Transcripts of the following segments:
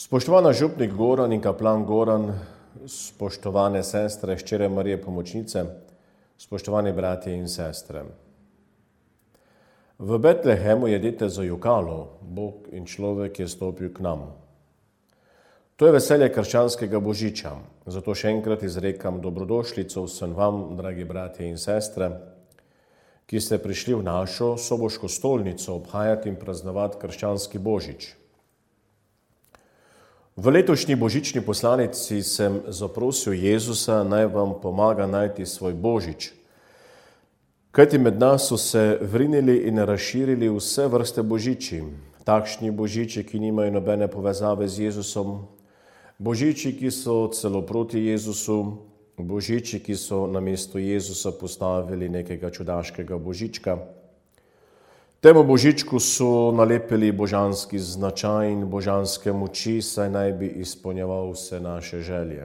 Spoštovana župnik Goran in kaplan Goran, spoštovane sestre, hčere Marije Pomočnice, spoštovani bratje in sestre. V Betlehemu je dete zajokalo, Bog in človek je stopil k nam. To je veselje krščanskega božiča, zato še enkrat izrekam dobrodošlico vsem vam, dragi bratje in sestre, ki ste prišli v našo soboško stolnico obhajati in praznovati krščanski božič. V letošnji božični poslanici sem zaprosil Jezusa, naj vam pomaga najti svoj božič, kajti med nas so se vrinili in razširili vse vrste božiči, takšni božiči, ki nimajo nobene povezave z Jezusom, božiči, ki so celo proti Jezusu, božiči, ki so namesto Jezusa postavili nekega čudaškega božička. Temu božičku so nalepili božanski značaj in božanske moči, saj naj bi izpolnjeval vse naše želje.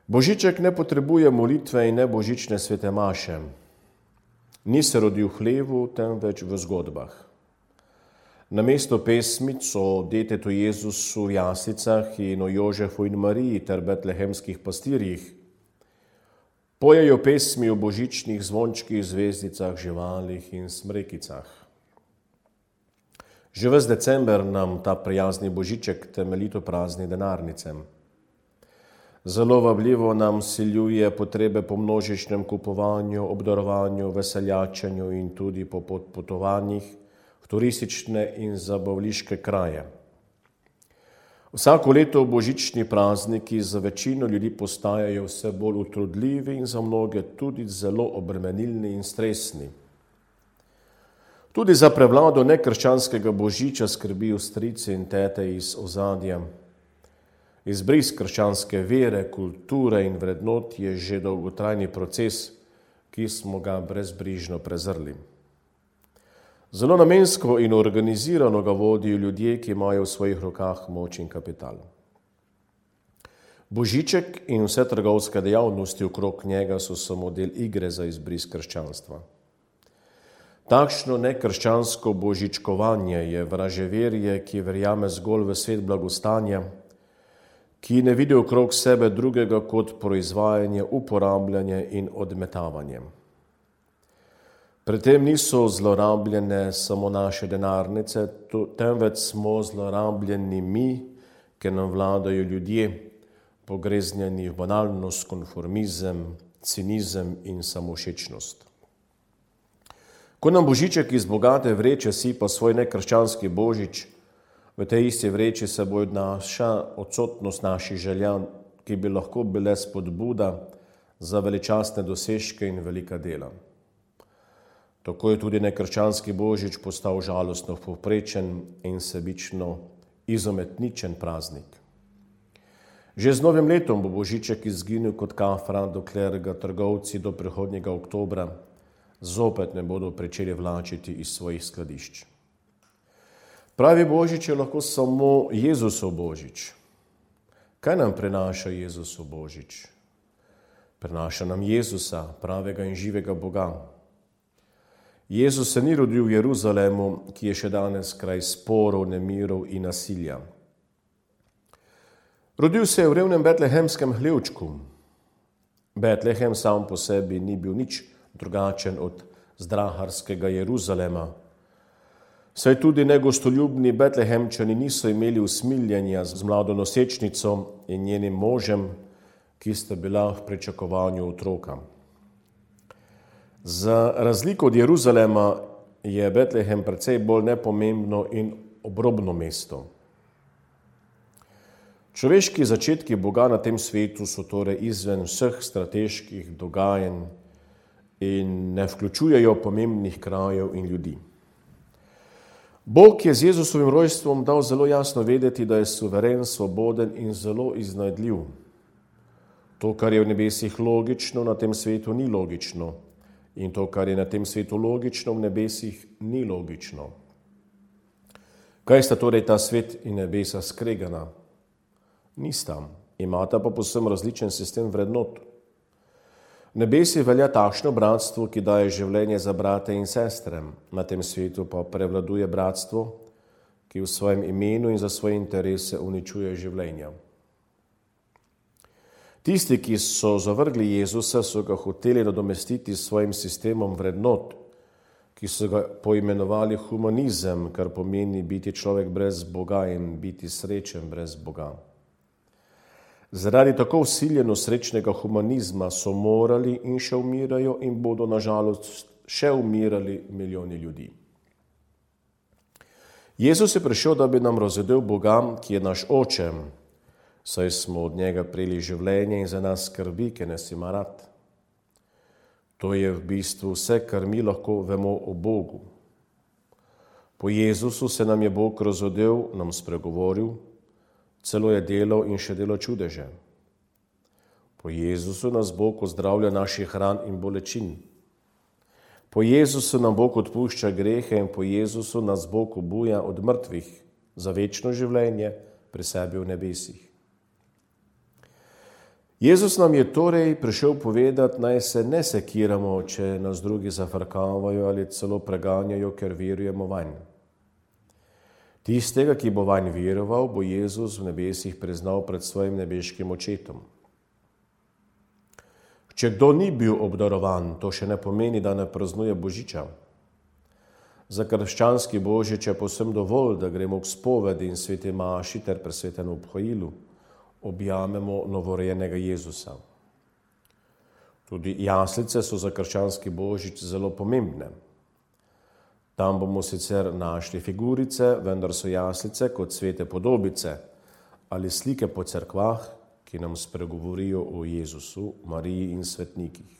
Božiček ne potrebuje molitve in ne božične svete maše. Ni se rodil v hlevu, temveč v zgodbah. Namesto pesmic o detetu Jezusu v jaslicah in o Jožefu in Mariji ter betlehemskih pastirjih pojejo pesmi o božičnih zvončkih, zvezdicah, živalih in smrekicah. Že ves december nam ta prijazni božiček temeljito prazni denarnicem. Zelo vabljivo nam siljuje potrebe po množičnem kupovanju, obdarovanju, veseljačenju in tudi po potovanjih v turistične in zabavliške kraje. Vsako leto božični prazniki za večino ljudi postajajo vse bolj utrudljivi in za mnoge tudi zelo obremenilni in stresni. Tudi za prevlado nekrščanskega božiča skrbijo strici in tete iz ozadja. Izbris krščanske vere, kulture in vrednot je že dolgotrajni proces, ki smo ga brezbrižno prezrli. Zelo namensko in organizirano ga vodijo ljudje, ki imajo v svojih rokah moč in kapital. Božiček in vse trgovske dejavnosti okrog njega so samo del igre za izbris krščanstva. Takšno nekrščansko božičkovanje je vraževerje, ki verjame zgolj v svet blagostanja, ki ne vidi okrog sebe drugega kot proizvajanje, uporabljanje in odmetavanje. Pri tem niso zlorabljene samo naše denarnice, temveč smo zlorabljeni mi, ker nam vladajo ljudje, pogreznjeni v banalnost, konformizem, cinizem in samovšečnost. Ko nam božiček iz bogate vreče sipa svoj nekrščanski božič, v tej isti vreči se bo odnaša odsotnost naših želja, ki bi lahko bile spodbuda za veličastne dosežke in velika dela. Tako je tudi nekrščanski božič postal žalostno povprečen in sebično izometničen praznik. Že z novim letom bo božiček izginil kot kafra, dokler ga trgovci do prihodnjega oktobra zopet ne bodo pričeli vlačiti iz svojih skladišč. Pravi božič je lahko samo Jezusov božič. Kaj nam prinaša Jezusov božič? Prinaša nam Jezusa, pravega in živega Boga. Jezus se ni rodil v Jeruzalemu, ki je še danes kraj sporov, nemirov in nasilja. Rodil se je v revnem betlehemskem hlevčku. Betlehem sam po sebi ni bil nič drugačen od zdraharskega Jeruzalema. Saj tudi negostoljubni betlehemčani niso imeli usmiljenja z mlado nosečnico in njenim možem, ki sta bila v pričakovanju otroka. Za razliko od Jeruzalema je Betlehem precej bolj nepomembno in obrobno mesto. Človeški začetki Boga na tem svetu so torej izven vseh strateških dogajanj in ne vključujejo pomembnih krajev in ljudi. Bog je z Jezusovim rojstvom dal zelo jasno vedeti, da je suveren, svoboden in zelo iznajdljiv. To, kar je v nebesih logično, na tem svetu ni logično. In to, kar je na tem svetu logično, v nebesih ni logično. Kaj sta torej ta svet in nebesa skregana? Nista, imata pa povsem različen sistem vrednot. V nebesi velja takšno bratstvo, ki daje življenje za brate in sestre, na tem svetu pa prevladuje bratstvo, ki v svojem imenu in za svoje interese uničuje življenja. Tisti, ki so zavrgli Jezusa, so ga hoteli nadomestiti s svojim sistemom vrednot, ki so ga poimenovali humanizem, kar pomeni biti človek brez Boga in biti srečen brez Boga. Zaradi tako vsiljeno srečnega humanizma so morali in še umirajo in bodo nažalost še umirali milijoni ljudi. Jezus je prišel, da bi nam razvedel Boga, ki je naš oče, saj smo od njega prejeli življenje in za nas skrbi, ki nas ima rad. To je v bistvu vse, kar mi lahko vemo o Bogu. Po Jezusu se nam je Bog razvedel, nam spregovoril, celo je delal in še dela čudeže. Po Jezusu nas Bog ozdravlja naših ran in bolečin. Po Jezusu nam Bog odpušča grehe in po Jezusu nas Bog obuja od mrtvih za večno življenje pri sebi v nebesih. Jezus nam je torej prišel povedati, naj se ne sekiramo, če nas drugi zafrkavajo ali celo preganjajo, ker verujemo vanj. Tistega, ki bo vanj veroval, bo Jezus v nebesih priznal pred svojim nebeškim očetom. Če kdo ni bil obdarovan, to še ne pomeni, da ne praznuje Božiča. Za krščanski Božič je povsem dovolj, da gremo k spovedi in sveti maši ter presvetemu obhojilu objamemo novorojenega Jezusa. Tudi jaslice so za krščanski Božič zelo pomembne. Tam bomo sicer našli figurice, vendar so jaslice kot svete podobice ali slike po cerkvah, ki nam spregovorijo o Jezusu, Mariji in svetnikih.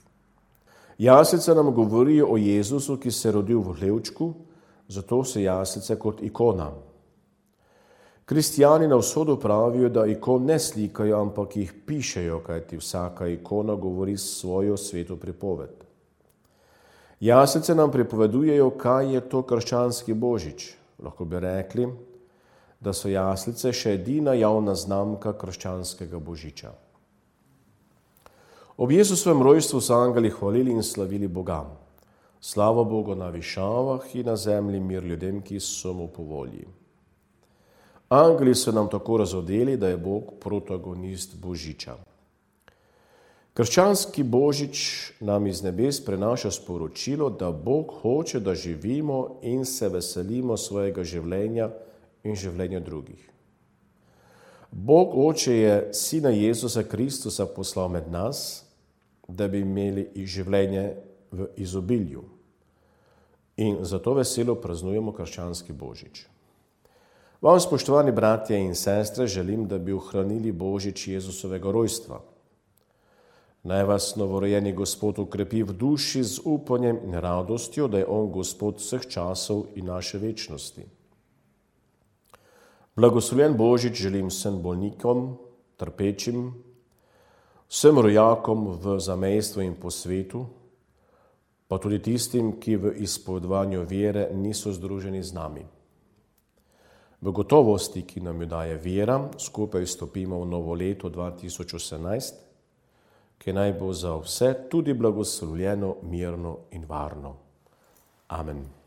Jaslice nam govorijo o Jezusu, ki se je rodil v hlevčku, zato so jaslice kot ikona. Kristijani na vzhodu pravijo, da ikon ne slikajo, ampak jih pišejo, kajti vsaka ikona govori svojo sveto pripoved. Jaslice nam pripovedujejo, kaj je to krščanski Božič. Lahko bi rekli, da so jaslice še edina javna znamka krščanskega Božiča. Ob Jezusovem rojstvu so angeli hvalili in slavili Boga. Slava Bogu na višavah in na zemlji mir ljudem, ki so mu po volji. Angeli so nam tako razodeli, da je Bog protagonist Božiča. Krščanski Božič nam iz nebes prenaša sporočilo, da Bog hoče, da živimo in se veselimo svojega življenja in življenja drugih. Bog Oče je Sina Jezusa Kristusa poslal med nas, da bi imeli življenje v izobilju. In zato veselo praznujemo krščanski Božič. Vam, spoštovani bratje in sestre, želim, da bi ohranili Božič Jezusovega rojstva. Naj vas novorojeni Gospod ukrepi v duši z upanjem in radostjo, da je on Gospod vseh časov in naše večnosti. Blagoslovljen Božič želim vsem bolnikom, trpečim, vsem rojakom v zamejstvu in po svetu, pa tudi tistim, ki v izpovedovanju vere niso združeni z nami. V gotovosti, ki nam jo daje vera, skupaj vstopimo v novo leto 2018, ki naj bo za vse tudi blagoslovljeno, mirno in varno. Amen.